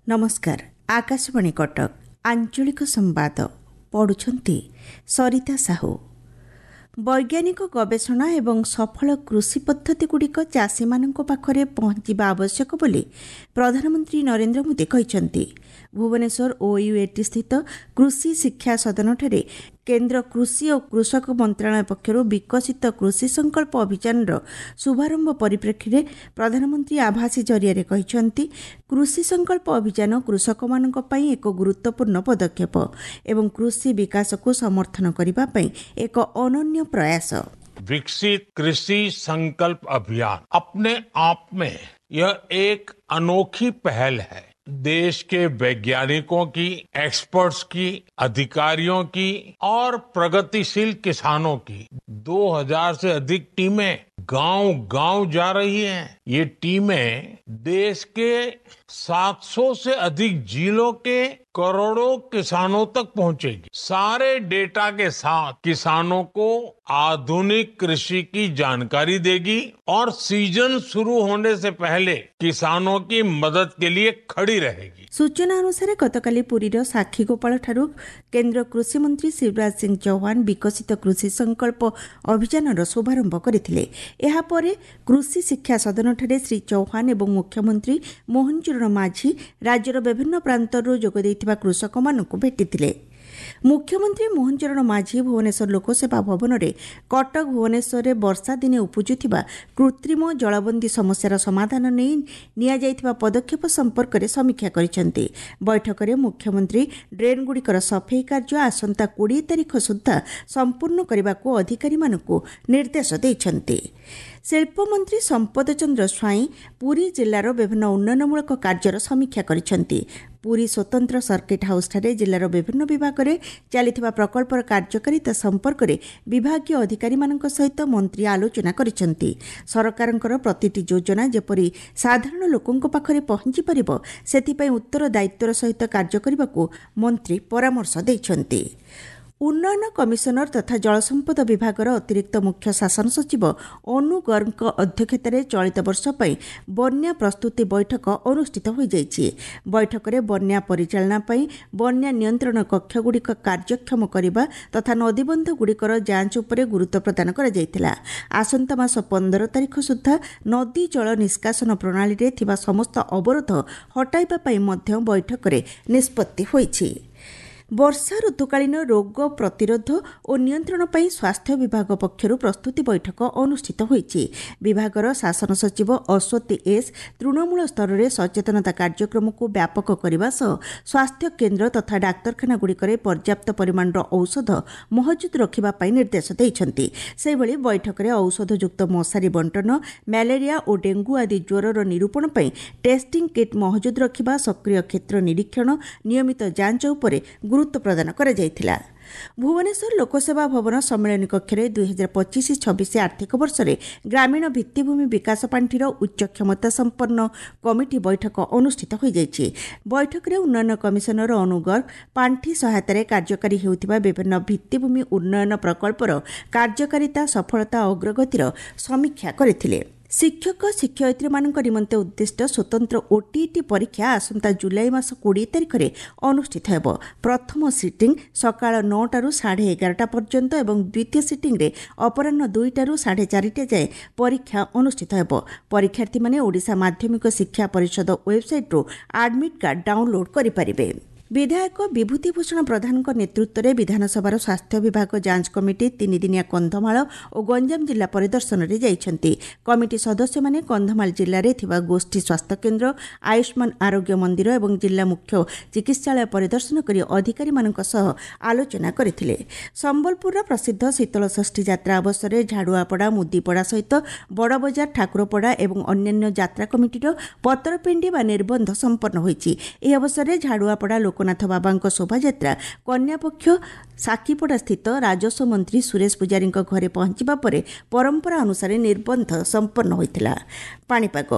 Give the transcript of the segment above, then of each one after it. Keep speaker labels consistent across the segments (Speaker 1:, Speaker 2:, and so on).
Speaker 1: ନମସ୍କାର, ଆକାଶବାଣୀ କଟକ, ଆଞ୍ଚଳିକ ସମ୍ବାଦ ପଢ଼ୁଛନ୍ତି ସରିତା ସାହୁ। ବୈଜ୍ଞାନିକ ଗବେଷଣା ଏବଂ ସଫଳ କୃଷି ପଦ୍ଧତିଗୁଡ଼ିକ ଚାଷୀମାନଙ୍କ ପାଖରେ ପହଞ୍ଚିବା ଆବଶ୍ୟକ ବୋଲି ପ୍ରଧାନମନ୍ତ୍ରୀ ନରେନ୍ଦ୍ର ମୋଦି କହିଛନ୍ତି। ଭୁବନେଶ୍ୱର ଓୟୁଏଟି ସ୍ଥିତ କୃଷି ଶିକ୍ଷା ସଦନଠାରେ କେନ୍ଦ୍ର କୃଷି ଓ କୃଷକ ମନ୍ତ୍ରଣାଳୟ ପକ୍ଷରୁ ବିକଶିତ କୃଷି ସଂକଳ୍ପ ଅଭିଯାନର ଶୁଭାରମ୍ଭ ପରିପ୍ରେକ୍ଷୀରେ ପ୍ରଧାନମନ୍ତ୍ରୀ ଆଭାସୀ ଜରିଆରେ କହିଛନ୍ତି, କୃଷି ସଂକଳ୍ପ ଅଭିଯାନ କୃଷକମାନଙ୍କ ପାଇଁ ଏକ ଗୁରୁତ୍ୱପୂର୍ଣ୍ଣ ପଦକ୍ଷେପ ଏବଂ କୃଷି ବିକାଶକୁ ସମର୍ଥନ କରିବା ପାଇଁ ଏକ ଅନନ୍ୟ ପ୍ରୟାସ।
Speaker 2: विकसित कृषि संकल्प अभियान अपने आप में यह एक अनोखी पहल है। देश के वैज्ञानिकों की, एक्सपर्ट्स की, अधिकारियों की और प्रगतिशील किसानों की 2000 से अधिक टीमें गांव-गांव जा रही हैं। ये टीमें देश के 700 से अधिक जिलों के करोड़ों किसानों तक पहुंचेगी। सारे डेटा के साथ किसानों को आधुनिक कृषि की जानकारी देगी और सीजन शुरू होने से पहले किसानों की मदद के लिए खड़ी रहेगी।
Speaker 1: ସୂଚନା ଅନୁସାରେ, ଗତକାଲି ପୁରୀର ସାକ୍ଷୀଗୋପାଳଠାରୁ କେନ୍ଦ୍ର କୃଷିମନ୍ତ୍ରୀ ଶିବରାଜ ସିଂ ଚୌହାନ ବିକଶିତ କୃଷି ସଂକଳ୍ପ ଅଭିଯାନର ଶୁଭାରମ୍ଭ କରିଥିଲେ। ଏହାପରେ କୃଷି ଶିକ୍ଷା ସଦନଠାରେ ଶ୍ରୀ ଚୌହାନ ଏବଂ ମୁଖ୍ୟମନ୍ତ୍ରୀ ମୋହନ ଚରଣ ମାଝୀ ରାଜ୍ୟର ବିଭିନ୍ନ ପ୍ରାନ୍ତରରୁ ଯୋଗ ଦେଇଥିବା କୃଷକମାନଙ୍କୁ ଭେଟିଥିଲେ। ମୁଖ୍ୟମନ୍ତ୍ରୀ ମୋହନ ଚରଣ ମାଝୀ ଭୁବନେଶ୍ୱର ଲୋକସେବା ଭବନରେ କଟକ ଭୁବନେଶ୍ୱରରେ ବର୍ଷା ଦିନେ ଉପୁଜୁଥିବା କୃତ୍ରିମ ଜଳବନ୍ଦୀ ସମସ୍ୟାର ସମାଧାନ ନେଇ ନିଆଯାଇଥିବା ପଦକ୍ଷେପ ସମ୍ପର୍କରେ ସମୀକ୍ଷା କରିଛନ୍ତି। ବୈଠକରେ ମୁଖ୍ୟମନ୍ତ୍ରୀ ଡ୍ରେନ୍ଗୁଡ଼ିକର ସଫେଇ କାର୍ଯ୍ୟ ଆସନ୍ତା 20 ତାରିଖ ସୁଦ୍ଧା ସମ୍ପୂର୍ଣ୍ଣ କରିବାକୁ ଅଧିକାରୀମାନଙ୍କୁ ନିର୍ଦ୍ଦେଶ ଦେଇଛନ୍ତି। ଶିଳ୍ପମନ୍ତ୍ରୀ ସମ୍ପଦ ଚନ୍ଦ୍ର ସ୍ୱାଇଁ ପୁରୀ ଜିଲ୍ଲାର ବିଭିନ୍ନ ଉନ୍ନୟନମୂଳକ କାର୍ଯ୍ୟର ସମୀକ୍ଷା କରିଛନ୍ତି। ପୁରୀ ସ୍ୱତନ୍ତ୍ର ସର୍କିଟ୍ ହାଉସ୍ଠାରେ ଜିଲ୍ଲାର ବିଭିନ୍ନ ବିଭାଗରେ ଚାଲିଥିବା ପ୍ରକଳ୍ପର କାର୍ଯ୍ୟକାରିତା ସମ୍ପର୍କରେ ବିଭାଗୀୟ ଅଧିକାରୀମାନଙ୍କ ସହିତ ମନ୍ତ୍ରୀ ଆଲୋଚନା କରିଛନ୍ତି। ସରକାରଙ୍କର ପ୍ରତିଟି ଯୋଜନା ଯେପରି ସାଧାରଣ ଲୋକଙ୍କ ପାଖରେ ପହଞ୍ଚିପାରିବ, ସେଥିପାଇଁ ଉତ୍ତରଦାୟିତ୍ୱର ସହିତ କାର୍ଯ୍ୟ କରିବାକୁ ମନ୍ତ୍ରୀ ପରାମର୍ଶ ଦେଇଛନ୍ତି। ଉନ୍ନୟନ କମିଶନର ତଥା ଜଳସମ୍ପଦ ବିଭାଗର ଅତିରିକ୍ତ ମୁଖ୍ୟ ଶାସନ ସଚିବ ଅନୁ ଗର୍ଗଙ୍କ ଅଧ୍ୟକ୍ଷତାରେ ଚଳିତ ବର୍ଷ ପାଇଁ ବନ୍ୟା ପ୍ରସ୍ତୁତି ବୈଠକ ଅନୁଷ୍ଠିତ ହୋଇଯାଇଛି। ବୈଠକରେ ବନ୍ୟା ପରିଚାଳନା ପାଇଁ ବନ୍ୟା ନିୟନ୍ତ୍ରଣ କକ୍ଷଗୁଡ଼ିକ କାର୍ଯ୍ୟକ୍ଷମ କରିବା ତଥା ନଦୀବନ୍ଧଗୁଡ଼ିକର ଯାଞ୍ଚ ଉପରେ ଗୁରୁତ୍ୱ ପ୍ରଦାନ କରାଯାଇଥିଲା। ଆସନ୍ତା ମାସ 15 ତାରିଖ ସୁଦ୍ଧା ନଦୀ ଜଳ ନିଷ୍କାସନ ପ୍ରଣାଳୀରେ ଥିବା ସମସ୍ତ ଅବରୋଧ ହଟାଇବା ପାଇଁ ମଧ୍ୟ ବୈଠକରେ ନିଷ୍ପତ୍ତି ହୋଇଛି। ବର୍ଷା ଋତୁକାଳୀନ ରୋଗ ପ୍ରତିରୋଧ ଓ ନିୟନ୍ତ୍ରଣ ପାଇଁ ସ୍ୱାସ୍ଥ୍ୟ ବିଭାଗ ପକ୍ଷରୁ ପ୍ରସ୍ତୁତି ବୈଠକ ଅନୁଷ୍ଠିତ ହୋଇଛି। ବିଭାଗର ଶାସନ ସଚିବ ଅଶ୍ୱତୀ ଏସ୍ ତୃଣମୂଳ ସ୍ତରରେ ସଚେତନତା କାର୍ଯ୍ୟକ୍ରମକୁ ବ୍ୟାପକ କରିବା ସହ ସ୍ୱାସ୍ଥ୍ୟ କେନ୍ଦ୍ର ତଥା ଡାକ୍ତରଖାନାଗୁଡ଼ିକରେ ପର୍ଯ୍ୟାପ୍ତ ପରିମାଣର ଔଷଧ ମହଜୁଦ ରଖିବା ପାଇଁ ନିର୍ଦ୍ଦେଶ ଦେଇଛନ୍ତି। ସେହିଭଳି ବୈଠକରେ ଔଷଧଯୁକ୍ତ ମଶାରୀ ବଣ୍ଟନ, ମ୍ୟାଲେରିଆ ଓ ଡେଙ୍ଗୁ ଆଦି ଜ୍ୱରର ନିରୂପଣ ପାଇଁ ଟେଷ୍ଟିଂ କିଟ୍ ମହଜୁଦ ରଖିବା, ସକ୍ରିୟ କ୍ଷେତ୍ର ନିରୀକ୍ଷଣ, ନିୟମିତ ଯାଞ୍ଚ ଉପରେ ଗୁରୁତ୍ୱ ପ୍ରଦାନ କରାଯାଇଥିଲା। ଭୁବନେଶ୍ୱର ଲୋକସେବା ଭବନ ସମ୍ମିଳନୀ କକ୍ଷରେ 2025-26 ଆର୍ଥିକ ବର୍ଷରେ ଗ୍ରାମୀଣ ଭିତ୍ତିଭୂମି ବିକାଶ ପାଣ୍ଠିର ଉଚ୍ଚ କ୍ଷମତା ସମ୍ପନ୍ନ କମିଟି ବୈଠକ ଅନୁଷ୍ଠିତ ହୋଇଯାଇଛି। ବୈଠକରେ ଉନ୍ନୟନ କମିଶନର ଅନୁ ଗର୍ଗ ପାଣ୍ଠି ସହାୟତାରେ କାର୍ଯ୍ୟକାରୀ ହେଉଥିବା ବିଭିନ୍ନ ଭିତ୍ତିଭୂମି ଉନ୍ନୟନ ପ୍ରକଳ୍ପର କାର୍ଯ୍ୟକାରିତା, ସଫଳତା ଓ ଅଗ୍ରଗତିର ସମୀକ୍ଷା କରିଥିଲେ। ଶିକ୍ଷକ ଶିକ୍ଷୟିତ୍ରୀମାନଙ୍କ ନିମନ୍ତେ ଉଦ୍ଦିଷ୍ଟ ସ୍ୱତନ୍ତ୍ର ଓଟିଇଟି ପରୀକ୍ଷା ଆସନ୍ତା ଜୁଲାଇ ମାସ 20 ତାରିଖରେ ଅନୁଷ୍ଠିତ ହେବ। ପ୍ରଥମ ସିଟିଂ ସକାଳ 9ଟାରୁ 11:30 ପର୍ଯ୍ୟନ୍ତ ଏବଂ ଦ୍ୱିତୀୟ ସିଟିଂରେ ଅପରାହ୍ନ 2ଟାରୁ 4:30 ଯାଏଁ ପରୀକ୍ଷା ଅନୁଷ୍ଠିତ ହେବ। ପରୀକ୍ଷାର୍ଥୀମାନେ ଓଡ଼ିଶା ମାଧ୍ୟମିକ ଶିକ୍ଷା ପରିଷଦ ୱେବ୍ସାଇଟ୍ରୁ ଆଡମିଟ୍ କାର୍ଡ ଡାଉନଲୋଡ୍ କରିପାରିବେ। ବିଧାୟକ ବିଭୂତି ଭୂଷଣ ପ୍ରଧାନଙ୍କ ନେତୃତ୍ୱରେ ବିଧାନସଭାର ସ୍ୱାସ୍ଥ୍ୟ ବିଭାଗ ଯାଞ୍ଚ କମିଟି ତିନିଦିନିଆ କନ୍ଧମାଳ ଓ ଗଞ୍ଜାମ ଜିଲ୍ଲା ପରିଦର୍ଶନରେ ଯାଇଛନ୍ତି। କମିଟି ସଦସ୍ୟମାନେ କନ୍ଧମାଳ ଜିଲ୍ଲାରେ ଥିବା ଗୋଷ୍ଠୀ ସ୍ୱାସ୍ଥ୍ୟକେନ୍ଦ୍ର, ଆୟୁଷ୍ମାନ ଆରୋଗ୍ୟ ମନ୍ଦିର ଏବଂ ଜିଲ୍ଲା ମୁଖ୍ୟ ଚିକିତ୍ସାଳୟ ପରିଦର୍ଶନ କରି ଅଧିକାରୀମାନଙ୍କ ସହ ଆଲୋଚନା କରିଥିଲେ। ସମ୍ବଲପୁରର ପ୍ରସିଦ୍ଧ ଶୀତଳଷଷ୍ଠୀ ଯାତ୍ରା ଅବସରରେ ଝାଡୁଆପଡ଼ା, ମୁଦିପଡ଼ା ସହିତ ବଡ଼ବଜାର, ଠାକୁରପଡ଼ା ଏବଂ ଅନ୍ୟାନ୍ୟ ଯାତ୍ରା କମିଟିର ପତରପେଣ୍ଡି ବା ନିର୍ବନ୍ଧ ସମ୍ପନ୍ନ ହୋଇଛି। ଏହି ଅବସରରେ ଝାଡୁଆପଡ଼ା ଲୋକନାଥ ବାବାଙ୍କ ଶୋଭାଯାତ୍ରା କନ୍ୟାପକ୍ଷ ସାକ୍ଷୀପଡ଼ାସ୍ଥିତ ରାଜସ୍ୱ ମନ୍ତ୍ରୀ ସୁରେଶ ପୂଜାରୀଙ୍କ ଘରେ ପହଞ୍ଚିବା ପରେ ପରମ୍ପରା ଅନୁସାରେ ନିର୍ବନ୍ଧ ସମ୍ପନ୍ନ ହୋଇଥିଲା। ପାଣିପାଗ।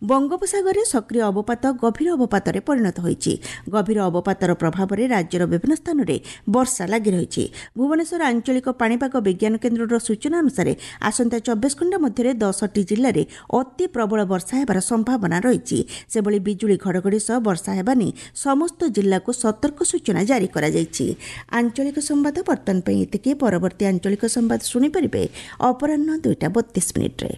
Speaker 1: ବଙ୍ଗୋପସାଗରରେ ସକ୍ରିୟ ଅବପାତ ଗଭୀର ଅବପାତରେ ପରିଣତ ହୋଇଛି। ଗଭୀର ଅବପାତର ପ୍ରଭାବରେ ରାଜ୍ୟର ବିଭିନ୍ନ ସ୍ଥାନରେ ବର୍ଷା ଲାଗି ରହିଛି। ଭୁବନେଶ୍ୱର ଆଞ୍ଚଳିକ ପାଣିପାଗ ବିଜ୍ଞାନ କେନ୍ଦ୍ରର ସୂଚନା ଅନୁସାରେ ଆସନ୍ତା 24 ଘଣ୍ଟା ମଧ୍ୟରେ 10ଟି ଜିଲ୍ଲାରେ ଅତି ପ୍ରବଳ ବର୍ଷା ହେବାର ସମ୍ଭାବନା ରହିଛି। ସେଭଳି ବିଜୁଳି ଘଡ଼ଘଡ଼ି ସହ ବର୍ଷା ହେବା ନେଇ ସମସ୍ତ ଜିଲ୍ଲାକୁ ସତର୍କ ସୂଚନା ଜାରି କରାଯାଇଛି। ଆଞ୍ଚଳିକ ସମ୍ବାଦ ବର୍ତ୍ତମାନ ପାଇଁ ଏତିକି। ପରବର୍ତ୍ତୀ ଆଞ୍ଚଳିକ ସମ୍ବାଦ ଶୁଣିପାରିବେ ଅପରାହ୍ନ 2ଟା 32 ମିନିଟ୍ରେ।